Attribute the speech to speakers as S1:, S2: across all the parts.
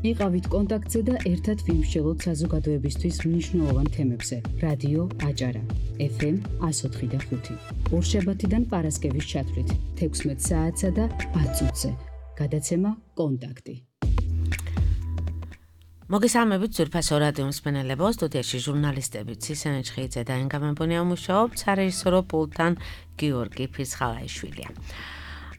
S1: იყავით კონტაქტზე და ერთად ვიმსჯელოთ საზოგადოებისთვის მნიშვნელოვან თემებზე. რადიო აჭარა, FM 104.5. ორშაბათიდან პარასკევის ჩათვლით 16 საათსა და 10 წუთზე. გადაცემა კონტაქტი.
S2: მოგესალმებით ძვირფასო რადიო მსმენელებო, სტუდიაში ჟურნალისტები ცისენე ჩხიძე და ენგამებონია მუშაობთ, სარეჟისორო პულტთან გიორგი ფირცხალაიშვილია.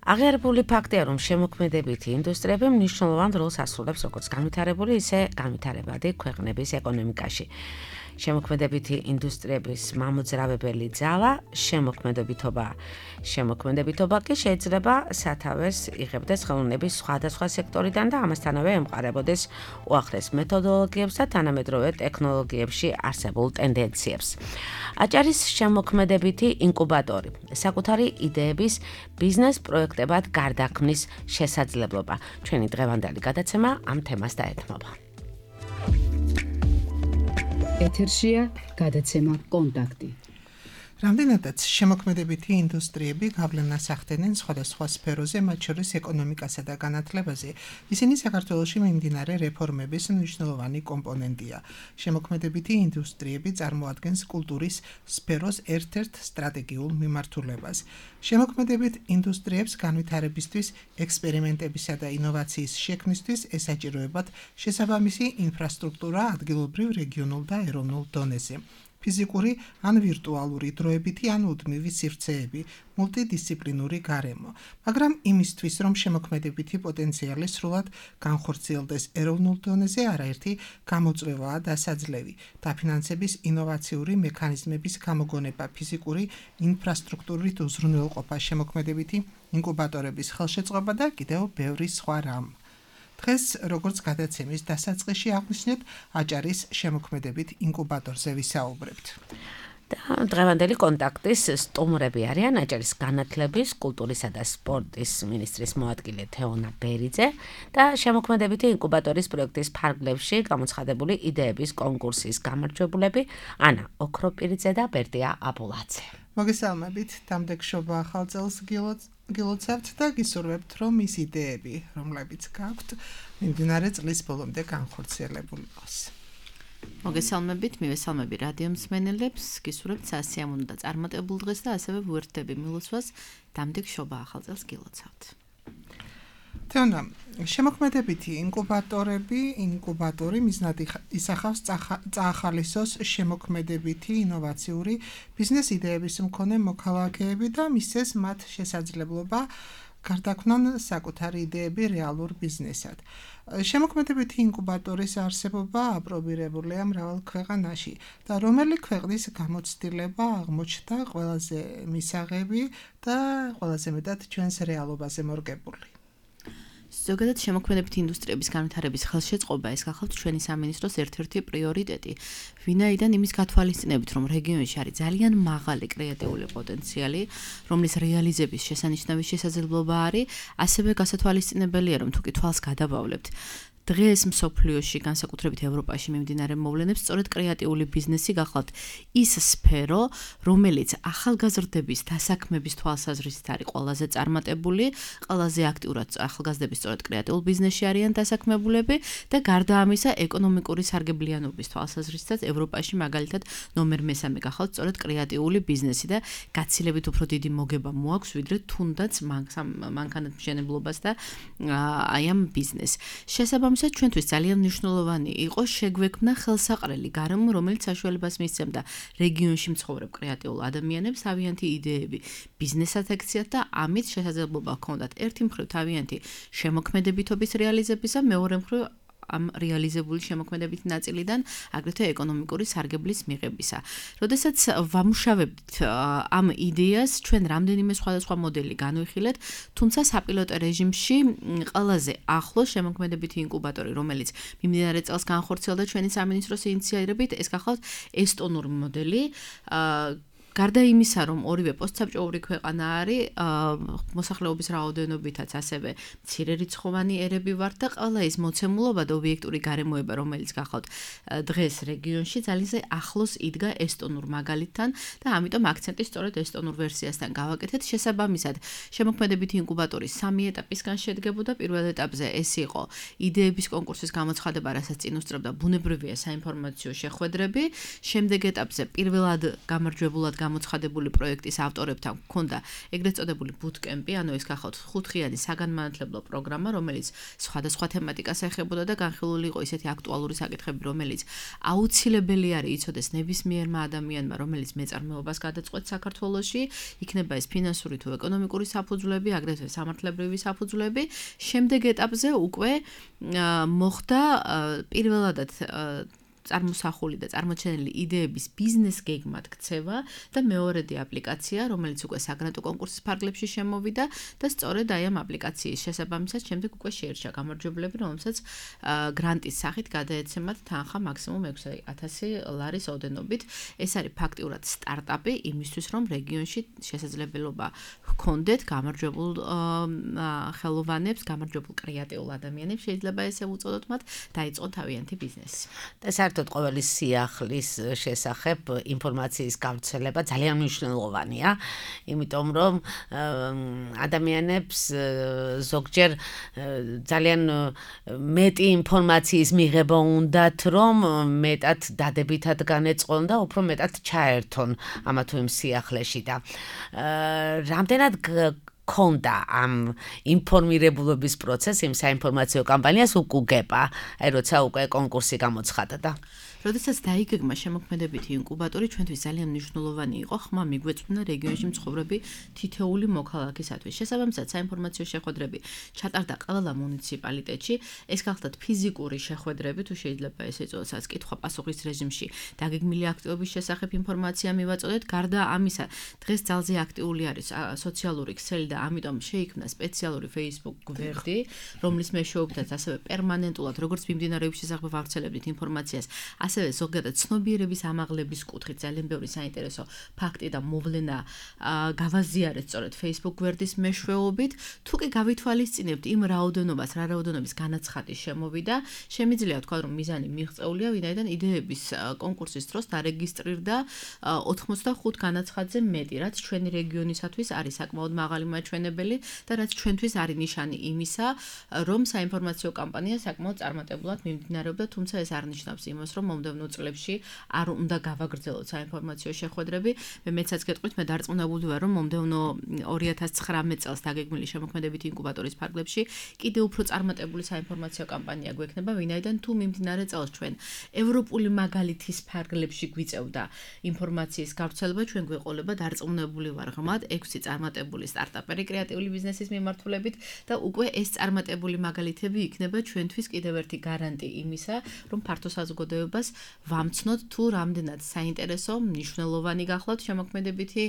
S2: აღიარებული ფაქტია, რომ შემოქმედებითი ინდუსტრიები მნიშვნელოვან როლს ასრულებს როგორც განვითარებული, ისე განვითარებადი ქვეყნების ეკონომიკაში. შემოქმედებითი ინდუსტრიების მამოძრავებელი ძალა შემოქმედებითობა კი შეიძლება სათავეს იღებდეს ხელოვნების სხვადასხვა სექტორიდან და ამასთანავე ემყარებოდეს უახლეს მეთოდოლოგიებს და თანამედროვე ტექნოლოგიებში არსებულ ტენდენციებს. აჭარის შემოქმედებითი ინკუბატორი, საკუთარი იდეების ბიზნეს პროექტებად გარდაქმნის შესაძლებლობა. ჩვენი დღევანდელი გადაცემა ამ თემას დაეთმობა.
S1: ეთერშია გადაცემა კონტაქტი.
S3: რამდენადაც შემოქმედებითი ინდუსტრიები გავლენას ახდენენ სხვადასხვა სფეროზე, მათ შორის ეკონომიკასა და განათლებაზე, ისინი საქართველოში მიმდინარე რეფორმების მნიშვნელოვანი კომპონენტია. შემოქმედებითი ინდუსტრიები წარმოადგენს კულტურის სფეროს ერთ-ერთ სტრატეგიულ მიმართულებას. შემოქმედებით ინდუსტრიებს განვითარებისთვის, ექსპერიმენტებისა და ინოვაციის შექმნისთვის ესაჭიროებათ შესაბამისი ინფრასტრუქტურა ადგილობრივ, რეგიონულ და ეროვნულ დონეზე. ფიზიკური ან ვირტუალური დროებითი ან უდმივი სივრცეები, მულტიდისციპლინური გარემო, მაგრამ იმისთვის, რომ შემოქმედებითი პოტენციალი სრულად განხორციელდეს ეროვნულ დონეზე, არაერთი გამოწვევაა დასაძლევი. დაფინანსების ინოვაციური მექანიზმების გამოგონება, ფიზიკური ინფრასტრუქტურით უზრუნველყოფა, შემოქმედებითი ინკუბატორების ხელშეწყობა და კიდევ ბევრი სხვა რამ. დღეს, როგორც გადაცემის დასაწყისში აღნიშნეთ, აჭარის შემოქმედებით ინკუბატორზე ვისაუბრებთ.
S2: დღევანდელი კონტაქტის სტუმრები არიან აჭარის განათლების, კულტურისა და სპორტის მინისტრის მოადგილე თეონა ბერიძე და შემოქმედებითი ინკუბატორის პროექტის ფარგლებში გამოცხადებული იდეების კონკურსის გამარჯვებულები ანა ოქროპირიძე და ბერდია აბულაძე.
S3: მოგესალმებით, დამდეგშობა ახალ წელს გილოცავთ და გისურვებთ, რომ ის იდეები, რომლებიც გაქვთ, მიმდინარე წლის ბოლომდე განხორციელებული იყოს.
S4: მოგესალმებით, მივესალმები რადიო მსმენელებს, გისურვებთ სასიამოვნო და წარმატებულ დღეს და ასევე ვუერთდები მილოცვას, დამდეგშობა ახალ წელს გილოცავთ.
S3: თეონა, შემოქმედებითი ინკუბატორი მიზნად ისახავს წაახალისოს შემოქმედებითი ინოვაციური ბიზნეს იდეების მქონე მოქალაქეები და მისცეს მათ შესაძლებლობა გარდაქმნან საკუთარი იდეები რეალურ ბიზნესად. შემოქმედებითი ინკუბატორის არსებობა აპრობირებულია მრავალ ქვეყანაში და რომელი ქვეყნის გამოცდილება აღმოჩნდა ყველაზე მისაღები და ყველაზე მეტად ჩვენს რეალობაზე მორგებული.
S4: ზოგადად შემოქმედებითი ინდუსტრიების განვითარების ხელშეწყობა ეს გახლავთ ჩვენი სამინისტროს ერთ-ერთი პრიორიტეტი, ვინაიდან იმის გათვალისწინებით, რომ რეგიონში არის ძალიან მაღალი კრეატიული პოტენციალი, რომლის რეალიზების შესანიშნავი შესაძლებლობა არის, ასევე გასათვალისწინებელია, რომ თუ კი თვალს გადავავლებთ, დღეს მსოფლიოში, განსაკუთრებით ევროპაში მიმდინარე მოვლენებს, სწორედ კრეატიული ბიზნესი გახლავთ ის სფერო, რომელიც ახალგაზრდების დასაქმების თვალსაზრისით არის ყველაზე წარმატებული, ყველაზე აქტიურად ახალგაზრდები სწორედ კრეატიულ ბიზნესში არიან დასაქმებულები და გარდა ამისა, ეკონომიკური სარგებლიანობის თვალსაზრისითაც ევროპაში მაგალითად ნომერ მესამე გახლავთ სწორედ კრეატიული ბიზნესი და გაცილებით უფრო დიდი მოგება მოაქვს, ვიდრე თუნდაც მანქანათმშენებლობას და აი ამ ბიზნესს. შესაბამისად, ჩვენთვის ძალიან მნიშვნელოვანი იყო შეგვექმნა ხელსაყრელი გარემო, რომელიც საშუალებას მისცემდა რეგიონში მცხოვრებ კრეატიულ ადამიანებს თავიანთი იდეები ბიზნესად ექციათ და ამით შესაძლებლობა ჰქონდათ ერთი მხრივ თავიანთი შემოქმედებითობის რეალიზებისა, მეორე მხრივ ამ რეალიზებული შემოქმედებითი ნაწილიდან აგრეთვე ეკონომიკური სარგებლის მიღებისა. როდესაც ვამუშავებთ ამ იდეას, ჩვენ რამდენიმე სხვადასხვა მოდელი განვიხილეთ, თუმცა საპილოტო რეჟიმში ყველაზე ახლო შემოქმედებითი ინკუბატორი, რომელიც მიმდინარე წელს განხორციელდა ჩვენი სამინისტროს ინიციატივით, ეს გახლავთ ესტონური მოდელი. გარდა იმისა, რომ ორივე პოსტსაბჭოური ქვეყანა არის, მოსახლეობის რაოდენობითაც ასევე მცირერიცხოვანი ერები ვართ და ყველა ის მოცემულობა და ობიექტური გარემოება, რომელიც გახავთ დღეს რეგიონში, ძალიან ახლოს იდგა ესტონურ მაგალითთან და ამიტომ აქცენტი სწორედ ესტონურ ვერსიასთან გავაკეთეთ. შესაბამისად, შემოქმედებითი ინკუბატორი 3 ეტაპისგან შედგებოდა. პირველ ეტაპზე ეს იყო იდეების კონკურსის გამოცხადება, რასაც წინ უსწრებდა ბუნებრივია საინფორმაციო შეხვედრები. შემდეგ ეტაპზე პირველად გამარჯვებულად გამოცხადებული პროექტის ავტორებთან ჰქონდა ეგრეთ წოდებული ბუთკემპი, ანუ ეს გახავთ 5-დღიანი საგანმანათლებლო პროგრამა, რომელიც სხვადასხვა თემატიკას ეხებოდა და განხილული იყო ისეთი აქტუალური საკითხები, რომელიც აუცილებელი არის იცოდეს ნებისმიერმა ადამიანმა, რომელიც მეწარმეობას გადაწყვეტს საქართველოში, იქნება ეს ფინანსური თუ ეკონომიკური საფუძვლები, აგრეთვე სამართლებრივი საფუძვლები. შემდეგ ეტაპზე უკვე მოხდა პირველადად წარმოსახული და წარმოჩენილი იდეების ბიზნეს გეგმად ქცევა და მეორედი აპლიკაცია, რომელიც უკვე საგრანტო კონკურსის ფარგლებში შემოვიდა და სწორედ აი ამ აპლიკაციის შესაბამისად შემდეგ უკვე შეირჩა გამარჯვებლები, რომელსაც გრანტის სახით გადაეცემათ თანხა მაქსიმუმ 6,000 ლარის ოდენობით. ეს არის ფაქტიურად სტარტაპი იმისთვის, რომ რეგიონში შესაძლებლობა ჰქონდეთ გამარჯვებულ ხელოვანებს, გამარჯვებულ კრეატიულ ადამიანებს, შეიძლება ესე უწოდოთ მათ, დაიწყონ თავიანთი ბიზნესი.
S2: საერთოდ ყოველი სიახლის შესახებ ინფორმაციის გავრცელება ძალიან მნიშვნელოვანია, იმიტომ რომ ადამიანებს ზოგჯერ ძალიან მეტი ინფორმაციის მიღება უნდათ, რომ მეტად დადებითად განეწყონ და უფრო მეტად ჩაერთონ ამა თუ იმ სიახლეში და რამდენად ქონდა ამ ინფორმირებულობის პროცესს იმ საინფორმაციო კამპანიას უკუგება, აი როცა უკვე კონკურსი გამოცხადდა.
S4: როდესაც დაიგეგმა შემოქმედებითი ინკუბატორი, ჩვენთვის ძალიან მნიშვნელოვანი იყო ხმა მიგვეწვნა რეგიონში მცხოვრები თითოეული მოქალაქისათვის. შესაბამისად, საინფორმაციო შეხვედრები ჩატარდა ყველა მუნიციპალიტეტში. ეს გახლდათ ფიზიკური შეხვედრები, თუ შეიძლება ესე იწოდოს, კითხვა-პასუხის რეჟიმში დაგეგმილი აქტივობის შესახებ ინფორმაცია მივაწოდეთ. გარდა ამისა, დღეს ძალზე აქტიური არის სოციალური ქსელი და ამიტომ შეიქმნა სპეციალური Facebook გვერდი, რომლის მეშვეობითაც ასევე პერმანენტულად, როგორც მიმდინარეობის შესახებ ვავრცელებდით ინფორმაციას, ასევე ზოგადად ცნობიერების ამაღლების კუთხით ძალიან ბევრი საინტერესო ფაქტი და მოვლენა გავაზიარეთ სწორედ Facebook გვერდის მეშვეობით. თუ კი გავითვალისწინებთ იმ რაოდენობას, რა რაოდენობის განაცხადი შემოვიდა, შემიძლია თქვა, რომ მიზანი მიღწეულია, ვინაიდან იდეების კონკურსის დროს დარეგისტრირდა 85 განაცხადზე მეტი, რაც ჩვენი რეგიონისათვის არის საკმაოდ მაღალი მაჩვენებელი და რაც ჩვენთვის არის ნიშანი იმისა, რომ საინფორმაციო კამპანია საკმაოდ წარმატებულად მიმდინარეობდა, თუმცა ეს არ ნიშნავს იმას, რომ მომდევნო წლებში არ უნდა გავაგრძელოთ საინფორმაციო შეხვედრები. მე მეცაც გეტყვით, მე დარწმუნებული ვარ, რომ მომდევნო 2019 წელს დაგეგმილი შემოქმედებითი ინკუბატორის ფარგლებში კიდევ უფრო წარმატებული საინფორმაციო კამპანია გვექნება, ვინაიდან თუ მიმდინარე წელს ჩვენ ევროპული მაგალითის ფარგლებში გვიწევდა ინფორმაციის გავრცელება, ჩვენ გვეყოლება დარწმუნებული ვარ ღმად 6 წარმატებული სტარტაპერი კრეატიული ბიზნესის მიმართულებით და უკვე ეს წარმატებული მაგალითები იქნება ჩვენთვის კიდევ ერთი გარანტი იმისა, რომ ფართო საზოგადოებას ვამცნოთ თუ რამდენად საინტერესო, მნიშვნელოვანი გახლავთ შემოქმედებითი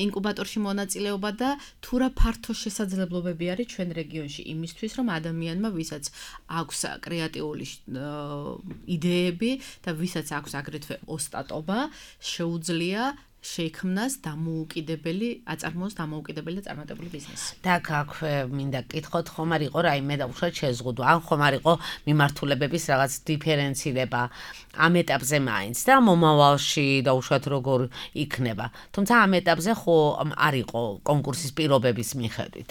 S4: ინკუბატორში მონაწილეობა და თუ რა ფართო შესაძლებლობები არის ჩვენ რეგიონში იმისთვის, რომ ადამიანმა, ვისაც აქვს კრეატიული იდეები და ვისაც აქვს აგრეთვე ოსტატობა, შეუძლია შეიქმნას დამოუკიდებელი, აწარმოოს დამოუკიდებელი და წარმატებული ბიზნესი.
S2: და აქვე მინდა კითხოთ, ხომ არ იყო რაიმე და უშუალოდ შეზღუდვა, ან ხომ არ იყო მიმართულებების რაღაც დიფერენცირება ამ ეტაპზე მაინც და მომავალში და უშუალოდ როგორ იქნება. თუმცა ამ ეტაპზე ხო არ იყო კონკურსის პირობების მიხედვით.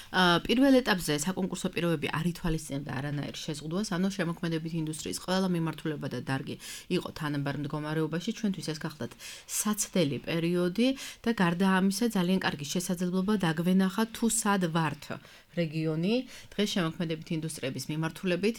S4: პირველ ეტაპზე საკონკურსო პირობები არ ითვალისწინებდა არანაირ შეზღუდვას, ანუ შემოქმედებითი ინდუსტრიის ყველა მიმართულება და დარგი იყო თანაბარ მდგომარეობაში, ჩვენთვის ეს გახლდათ საცდელი პერიოდი და გარდა ამისა ძალიან კარგი შესაძლებლობა დაგვენახა თუ სად ვართ რეგიონი, დღეს შემოქმედებითი ინდუსტრიების მიმართულებით,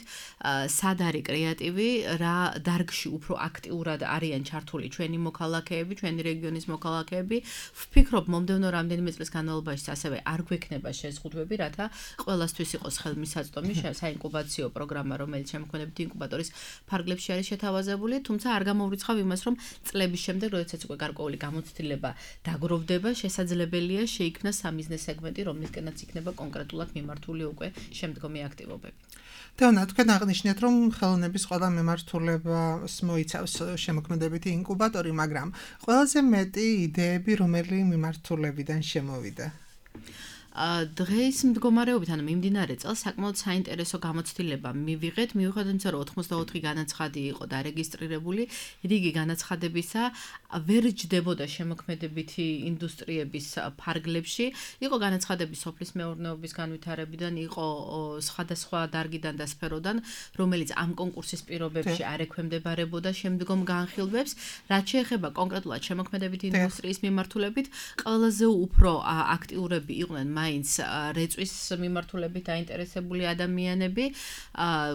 S4: სად არის კრეატივი, რა დარგში უფრო აქტიურად არიან ჩართული ჩვენი მოქალაქეები, ჩვენი რეგიონის მოქალაქეები. ვფიქრობ, მომდევნო რამდენიმე წლის განმავლობაში ასევე არ გვექნება შეზღუდვები, რათა ყველასთვის იყოს ხელმისაწვდომი საინკუბაციო პროგრამა, რომელიც შემოქმედებითი ინკუბატორის ფარგლებში არის შეთავაზებული, თუმცა არ გამოვრიცხავ იმას, რომ წლების შემდეგ, როდესაც უკვე გარკვეული გამოცდილება დაგროვდება, შესაძლებელია შეიქმნას სამიზნეს სეგმენტი, რომლისკენაც იქნება კონკრეტულად აქვთ მიმართული უკვე შემდგომი აქტივობები.
S3: დევნა, თქვენ აღნიშნეთ, რომ ხელოვნების ყველა მიმართულებას მოიცავს შემოქმედებითი ინკუბატორი, მაგრამ ყველაზე მეტი იდეები რომელი მიმართულებიდან შემოვიდა?
S4: დღეს მდგომარეობით, ანუ მიმდინარე წელს საკმაოდ საინტერესო გამოცდილება მივიღეთ, მიუხედავად იმისა, რომ 84 განაცხადი იყო დარეგისტრირებული, რიგი განაცხადებისა ვერ ჯდებოდა შემოქმედებითი ინდუსტრიების ფარგლებში, იყო განაცხადები სოფლის მეურნეობის განვითარებიდან, იყო სხვადასხვა დარგიდან და სფეროდან, რომელიც ამ კონკურსის პირობებში არ ექვემდებარებოდა შემდგომ განხილვებს, რაც შეეხება კონკრეტულად შემოქმედებითი ინდუსტრიის მიმართულებით, ყველაზე უფრო აქტიურები იყვნენ მაინც რეწვის მიმართულებით დაინტერესებული ადამიანები,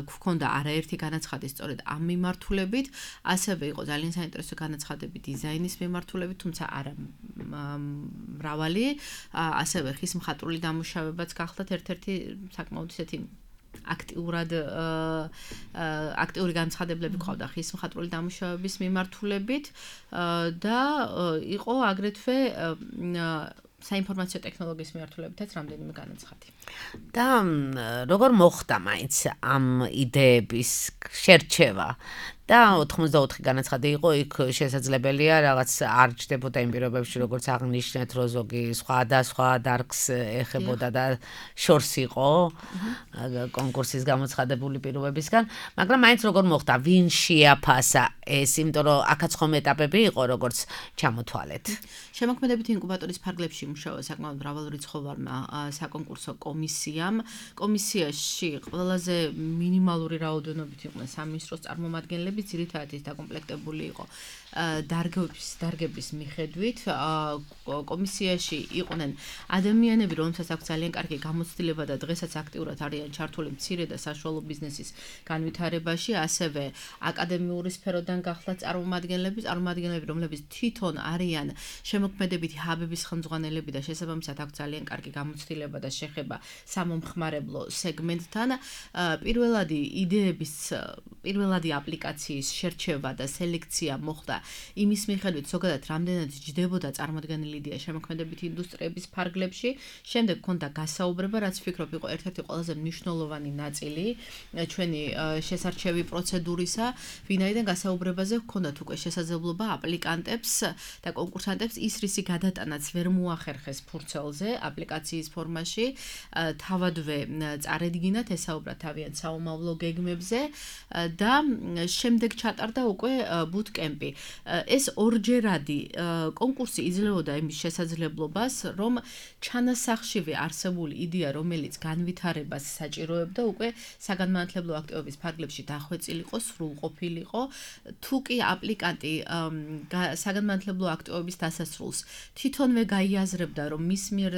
S4: გვქონდა არაერთი განაცხადი სწორედ ამ მიმართულებით, ასევე იყო ძალიან საინტერესო განაცხადები დიზაინის მიმართულებით, თუმცა არა მრავალი, ასევე ხის მხატვრული დამუშავებაც გახლდათ ერთ-ერთი საკმაოდ ისეთი აქტიური განცხადებლები ყავდა ხის მხატვრული დამუშავების მიმართულებით და იყო აგრეთვე საინფორმაციო ტექნოლოგიის მიმართულებითაც რამდენიმე განაცხადი.
S2: და როგორ მოხდა მაინც ამ იდეების შერჩევა? და 84 განაცხადი იყო, იქ შესაძლებელია რაღაც არ ჯდებოდა იმ პირობებში, როგორც აღნიშნეთ, რომ ზოგი სხვადასხვა დარგს ეხებოდა და შორს იყო კონკურსის გამოცხადებული პირობებისგან, მაგრამ მაინც როგორ მოხდა, ვინ შეაფასა ეს, იმიტომ რომ აქაც ხომ ეტაპები იყო, როგორც ჩამოთვალეთ.
S4: შემოქმედებითი ინკუბატორის ფარგლებში მუშაობა საკმაოდ მრავალრიცხოვარმა საკონკურსო კომისიამ. კომისიაში ყველაზე მინიმალური რაოდენობით იყვნენ სამინისტროს წარმომადგენლები, ძირითადად ის დაკომპლექტებული იყო დარგების მიხედვით. კომისიაში იყვნენ ადამიანები, რომელთაც აქვს ძალიან კარგი გამოცდილება და დღესაც აქტიურად არიან ჩართული მცირე და საშუალო ბიზნესის განვითარებაში, ასევე აკადემიური სფეროდან გახლავთ წარმომადგენლები, რომლებიც თვითონ არიან შემოქმედებითი ჰაბების ხელმძღვანელები და შესაბამისად აქვს ძალიან კარგი გამოცდილება და შეხება სამომხმარებლო სეგმენტთან. პირველადი აპლიკაციის შერჩევა და სელექცია მოხდა იმის მიხედვით, ზოგადად რამდენად ჯდებოდა წარმოდგენილი იდეა შემოქმედებითი ინდუსტრიების ფარგლებში. შემდეგ ჰქონდა გასაუბრება, რაც ვფიქრობ იყო ერთ-ერთი ყველაზე მნიშვნელოვანი ნაწილი ჩვენი შესარჩევი პროცედურისა, ვინაიდან გასაუბრებაზე ჰქონდათ უკვე შესაძლებლობა აპლიკანტებს და კონკურსანტებს ის რისი გადატანაც ვერ მოახერხეს ფურცელზე აპლიკაციის ფორმაში, თავადვე წარედგინათ, ესაუბრა თავიანთ საომავლო გეგმებზე და შემდეგ ჩატარდა უკვე ბუთკემპი. ეს ორჯერადი კონკურსი იძლეოდა იმის შესაძლებლობას, რომ ჩანასახშივე არსებული იდეა, რომელიც განვითარებას საჭიროებდა, უკვე საგანმანათლებლო აქტივობის ფარგლებში დახვეწილიყო, სრულყოფილიყო. თუ კი აპლიკანტი საგანმანათლებლო აქტივობის დასასრულს თვითონვე გაიაზრებდა, რომ მის მიერ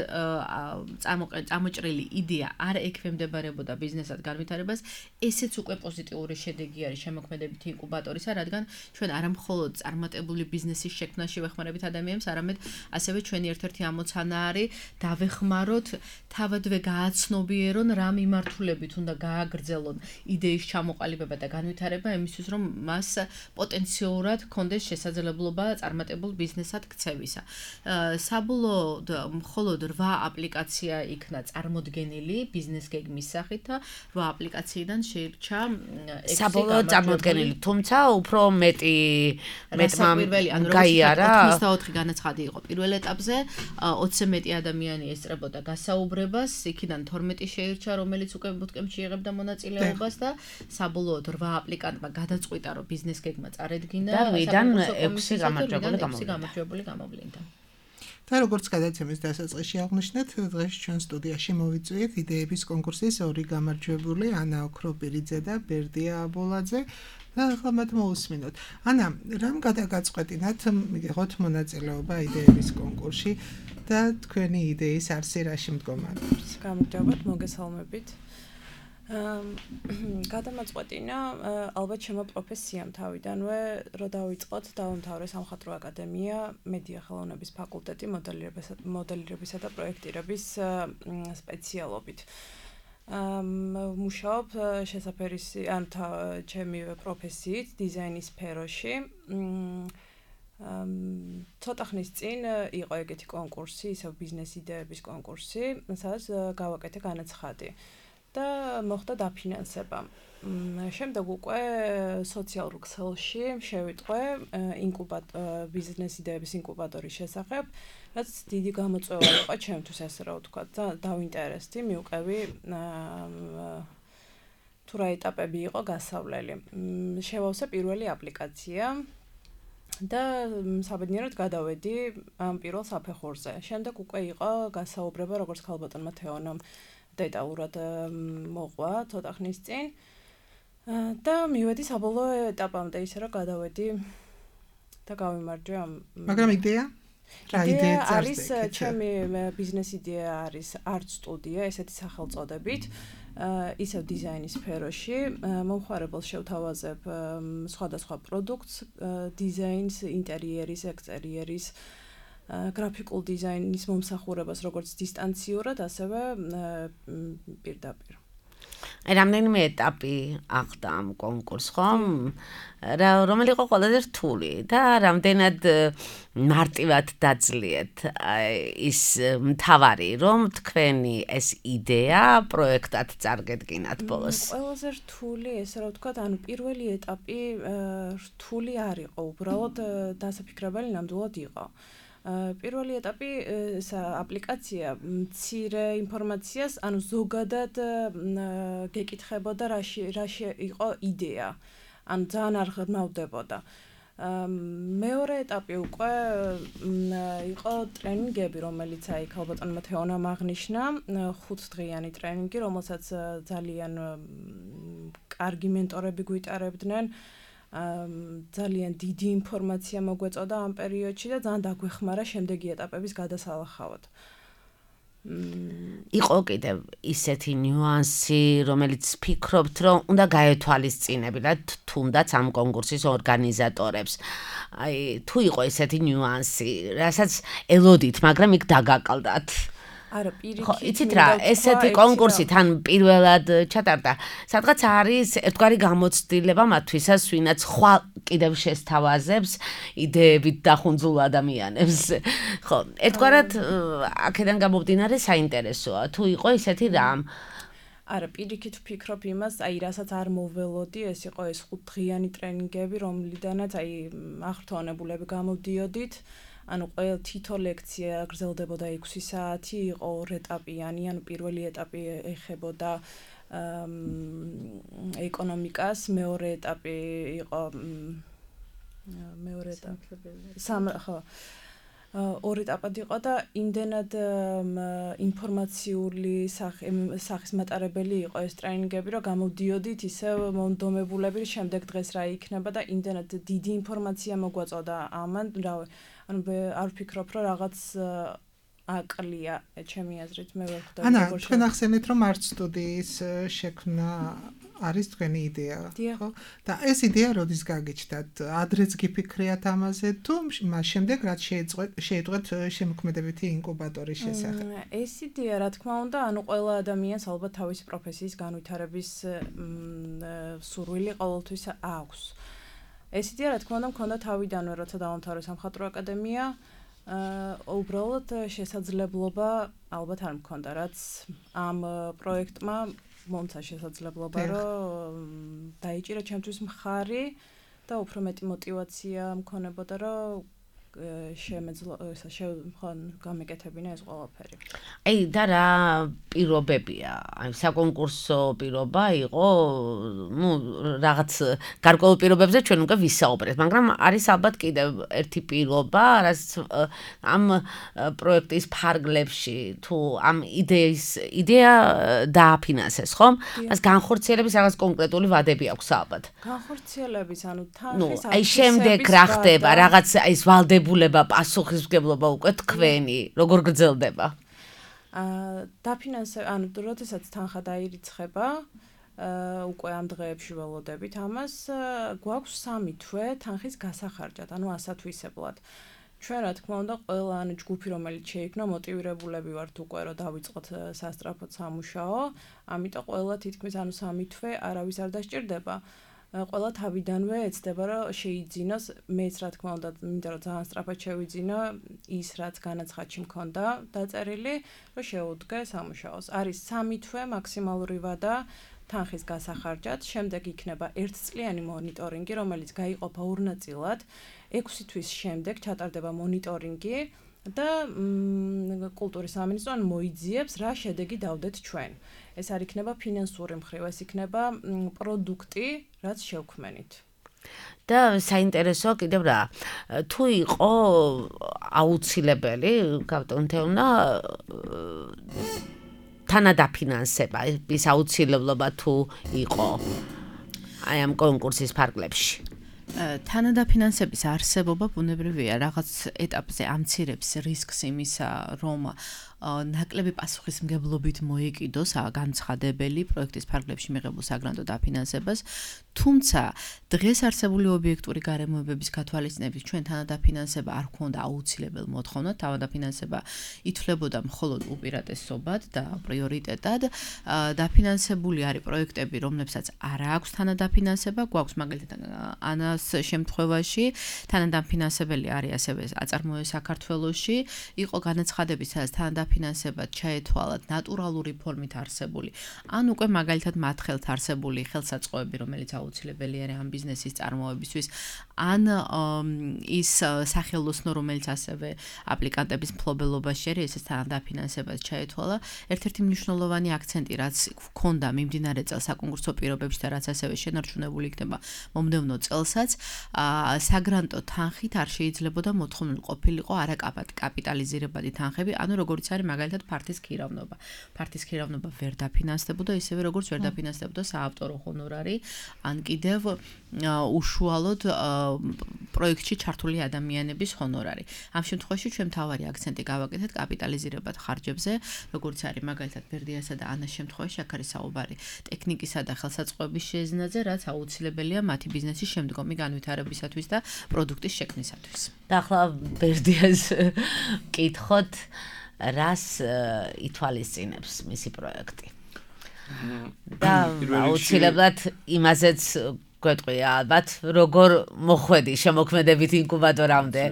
S4: წამოჭრილი იდეა არ ექვემდებარებოდა ბიზნესად განვითარებას, ესეც უკვე პოზიტიური შედეგი არის შემოქმედებითი ინკუბატორისა, რადგან ჩვენ არა მხოლოდ წარმატებული ბიზნესის შექმნაში ვეხმარებით ადამიანებს, არამედ ასევე ჩვენი ერთ-ერთი ამოცანა არის დავეხმაროთ, თავადვე გააცნობიერონ რა მიმართულებით უნდა გააგრძელონ იდეის ჩამოყალიბება და განვითარება, იმისთვის რომ მას პოტენციურად ჰქონდეს შესაძლებლობა წარმატებულ ბიზნესად ქცევისა. საბოლოოდ მხოლოდ 8 აპლიკაცია იქნა წარმოდგენილი ბიზნეს გეგმის სახით და 8 აპლიკაციიდან შეირჩა 6
S2: საბოლოოდ წარმოდგენილი, თუმცა უფრო მეტმა გაიარა.
S4: 84 განაცხადი იყო პირველ ეტაპზე, 20-ზე მეტი ადამიანი ესწრებოდა გასაუბრებას, იქიდან 12 შეირჩა, რომელიც უკვე ბუთკემპში იღებდა მონაწილეობას და საბოლოოდ 8 აპლიკანტმა გადაწყვიტა, რომ ბიზნეს გეგმა წარედგინა
S2: და ვიდან 6 გამარჯვებული
S4: გამოვლინდა.
S3: და როგორც გადაცემის დასაწყისში აღნიშნეთ, დღეს ჩვენ სტუდიაში მოვიწვიეთ იდეების კონკურსის 2 გამარჯვებული, ანა ოქროპირიძე და ბერდია აბოლაძე. და ახლა მათ მოусმინოთ. ანა, რამ გადაგაწყვეტინათ მიგიღოთ მონაწილეობა იდეების კონკურსში და თქვენი იდეის არსი რაში მდგომარეობს?
S5: გამარჯობათ, მოგესალმებით. გადამაწყვეტინა ალბათ ჩემო პროფესიამ თავიდანვე, რომ დავიწყოთ დავამთავრე სამხატვრო აკადემია, მედია ხელოვნების ფაკულტეტი, მოდელირებისა და პროექტირების სპეციალობით. მუშაობ შესაფერისი, ან ჩემი პროფესიით დიზაინის სფეროში. ცოტა ხნის წინ იყო ეგეთი კონკურსი, ისევ ბიზნეს იდეების კონკურსი, სადაც გავაკეთე განაცხადი და მოხდა დაფინანსება. შემდეგ უკვე სოციალურ ქსელში შევიტყვე ბიზნეს იდეების ინკუბატორის შესახებ, რაც დიდი გამოწვევა იყო ჩემთვის, ასე რა ვთქვათ, და დავინტერესდი, მივყევი თუ რა ეტაპები იყო გასავლელი. შევავსე პირველი აპლიკაცია და საბედნიეროდ გადავედი ამ პირველ საფეხურზე. შემდეგ უკვე იყო გასაუბრება, როგორც ქალბატონმა თეონამ დეტალურად მოყვა ცოტა ხნის წინ და მივედი საბოლოო ეტაპამდე, ისე რომ გადავედი და გავიმარჯვე ამ.
S3: მაგრამ იდეა? რა იდეა
S5: არის ჩემი ბიზნეს იდეა არის art studio, ესეთი სახელწოდებით. ისევ დიზაინის სფეროში მომხმარებელს შევთავაზებ სხვადასხვა პროდუქტს, დიზაინს, ინტერიერის, ექსტერიერის, გრაფიკულ დიზაინის მომსახურებას, როგორც დისტანციურად, ასევე პირდაპირ.
S2: რამდენიმე ეტაპი აღდა ამ კონკურსს, ხომ? რომელი იყო ყველაზე რთული და რამდენად მარტივად დაძლიეთ ის მთავარი, რომ თქვენი ეს იდეა პროექტად წარგედგინათ ბოლოს?
S5: ყველაზე რთული, ესე რა ვთქვათ, ანუ პირველი ეტაპი რთული არ იყო, უბრალოდ დასაფიქრებელი ნამდვილად იყო. პირველი ეტაპი ეს აპლიკაცია მცირე ინფორმაციას, ანუ ზოგადად გეკითხებოდა რაში იყო იდეა. ანუ ძალიან არ ღრმავდებოდა. მეორე ეტაპი უკვე იყო ტრენინგები, რომელიც აი ქალბატონმა თეონამ აღნიშნა, 5 დღიანი ტრენინგი, რომელსაც ძალიან კარგი მენტორები გვიტარებდნენ. ძალიან დიდი ინფორმაცია მოგვეწოდა ამ პერიოდში და ძალიან დაგვეხმარა შემდეგი ეტაპების გადასალახავად.
S2: იყო კიდევ ისეთი ნიუანსი, რომელიც ფიქრობთ, რომ უნდა გაეთვალისწინებინათ თუნდაც ამ კონკურსის ორგანიზატორებს. აი, თუ იყო ისეთი ნიუანსი, რასაც ელოდით, მაგრამ იქ დაგაყალდათ.
S5: არა, პირიქით.
S2: ხო, იცით რა, ესეთი კონკურსი თან პირველად ჩატარდა. სადღაც არის ერთგვარი გამოცდილება მათთვისაც, ვინაც ხვალ კიდევ შესთავაზებს იდეებით დახუნძულ ადამიანებს. ხო, ერთგვარად აქედან გამომდინარე საინტერესოა, თუ იყო ისეთი რამ.
S5: არა, პირიქით ვფიქრობ იმას, აი, რასაც არ მოველოდი, ეს იყო ეს 5 დღიანი ტრენინგები, რომლიდანაც აი აღრთვანებულები გამოდიოდით. ანუ ყველა თითო ლექცია გრძელდებოდა 6 საათი, იყო 2 ეტაპიანი, ანუ პირველი ეტაპი ეხებოდა ეკონომიკას, მეორე ეტაპი იყო ხო. 2 ეტაპად იყო და იმდენად ინფორმაციული სახის მატარებელი იყო ეს ტრენინგები, რომ გამოდიოდით ისევ მომდომებულები, შემდეგ დღეს რა იქნება და იმდენად დიდი ინფორმაცია მოგვაწოდა ამან, ანუ არ ვფიქრობ, რომ რაღაც აკლია ჩემი აზრით, მე ვერ ხვდები.
S3: ანა, თქვენ ახსენეთ, რომ art studio-ის შექმნა არის თქვენი იდეა, ხო? და ეს იდეა როდის გაგიჩნდათ? ადრეც გიფიქრიათ ამაზე თუ მას შემდეგ რაც შეეწყვეთ შემოქმედებითი ინკუბატორის შესახებ?
S5: ეს იდეა, რა თქმა უნდა, ანუ ყველა ადამიანს ალბათ თავისი პროფესიის განვითარების სურვილი ყოველთვის აქვს. ეს იდეა, რა თქმა უნდა, მქონდა თავიდანვე, როცა დავამთავრე სამხატვრო აკადემია, უბრალოდ შესაძლებლობა ალბათ არ მქონდა, რაც ამ პროექტმა მომცა შესაძლებლობა, რომ დაიჭირა ჩემთვის მხარი და უფრო მეტი мотиваცია მქონებოდა, რომ გამეკეთებინა ეს ყველაფერი.
S2: აი, და რა პირობებია? აი, საკონკურსო პირობა იყო, ну, რაღაც გარკვეულ პირობებზე ჩვენ უკვე ვისაუბრეთ, მაგრამ არის ალბათ კიდევ ერთი პირობა, რაც ამ პროექტის ფარგლებში, თუ ამ იდეა დააფინანსეს, ხო? მას განხორციელების რაღაც კონკრეტული ვადები აქვს ალბათ.
S5: განხორციელების, ანუ თანხის
S2: აი, შემდეგ რა ხდება, რაღაც ის ვალდებულება, პასუხისმგებლობა უკვე თქვენი, როგორ გრძელდება?
S5: დაფინანსება, ანუ როდესაც თანხა დაირიცხება, უკვე ამ დღეებში ველოდებით ამას, გვაქვს 3 თვე თანხის გასახარჯად, ანუ ასათვისებლად. ჩვენ რა თქმა უნდა, ყველა ანუ ჯგუფი, რომელიც შეიქმნა, მოტივირებულები ვართ უკვე, რომ დავიწყოთ სასწრაფოდ სამუშაო, ამიტომ ყველა თითქმის ანუ 3 თვე არავის არ დასჭირდება. ყველა თავიდანვე ეცდება რომ შეიძინოს მეც რა თქმა უნდა მინდა რომ ძალიან სწრაფად შევიძინო ის რაც განაცხადში მქონდა დაწერილი რომ შეუდგე სამუშაოს არის 3 თვე მაქსიმალური ვადა თანხის გასახარჯად შემდეგ იქნება 1 წლიანი მონიტორინგი რომელიც გაიყოფა ორ ნაწილად 6 თვის შემდეგ ჩატარდება მონიტორინგი და კულტურის სამინისტრომ მოიძიებს რა შედეგი დავდეთ ჩვენ ეს არ იქნება ფინანსური მხრივ ეს იქნება პროდუქტი რაც შევქმენით
S2: და საინტერესო კიდევ რა თუ იყო აუცილებელი გავტონთევნა თანადაფინანსება ის აუცილებლობა თუ იყო აი ამ კონკურსის ფარგლებში
S4: თანადაფინანსების არსებობა ბუნებრივია რაღაც ეტაპზე ამცირებს რისკს იმისა რომ ნაკლები პასუხისმგებლობით მოეკიდოს განცხადებელი პროექტის ფარგლებში მიღებულ საგრანტო დაფინანსებას თუმცა დღეს არსებული ობიექტური გარემოებების გათვალისწინებით ჩვენ თანადაფინანსება არ გვქონდა აუცილებელ მოთხოვნად თანადაფინანსება ითვლებოდა მხოლოდ უპირატესობად და პრიორიტეტად დაფინანსებული არის პროექტები რომლებსაც არ აქვს თანადაფინანსება გვაქვს მაგალითად ანას შემთხვევაში თანადაფინანსებელი არის ასევე აწარმოე საქართველოში იყო განაცხადები სადაც თანადაფინანსება ჩაეთვალათ ნატურალური ფორმით არსებული ან უკვე მაგალითად მათ ხელთ არსებული ხელსაწყოები რომელიც აუცილებელი არის ამ ბიზნესის წარმოებისთვის ან ის სახელოსნო რომელიც ასევე აპლიკანტების მფლობელობაში არის ესეც თანადაფინანსებას ჩაეთვალა ერთ-ერთი მნიშვნელოვანი აქცენტი რაც ჰქონდა მიმდინარე წელს საკონკურსო პირობებში და რაც ასევე შენარჩუნებული იქნება მომდევნო წელსაც საგრანტო თანხით არ შეიძლებოდა მოთხოვნილ ყოფილიყო არაკაპიტალიზირებადი თანხები ანუ როგორც არის მაგალითად ფართის ქირავნობა ფართის ქირავნობა ვერ დაფინანსდებოდა ისევე როგორც ვერ დაფინანსდებოდა საავტორო ჰონორარი ან კიდევ უშუალოდ პროექტში ჩართული ადამიანების ჰონორარი. ამ შემთხვევაში ჩვენ მთავარი აქცენტი გავაკეთეთ კაპიტალიზირებად ხარჯებზე, როგორც არის მაგალითად ბერდიასა და ანას შემთხვევაში აქ არის საუბარი ტექნიკისა და ხელსაწყოების შეზნაზე, რაც აუცილებელია მათი ბიზნესის შემდგომი განვითარებისათვის და პროდუქტის შექმნისათვის.
S2: და ახლა ბერდიას კითხოთ, რას ითვალისწინებს მისი პროექტი? და აუცილებლად იმაზეც გვეტყვია ალბათ როგორ მოხვედი შემოქმედებით ინკუბატორამდე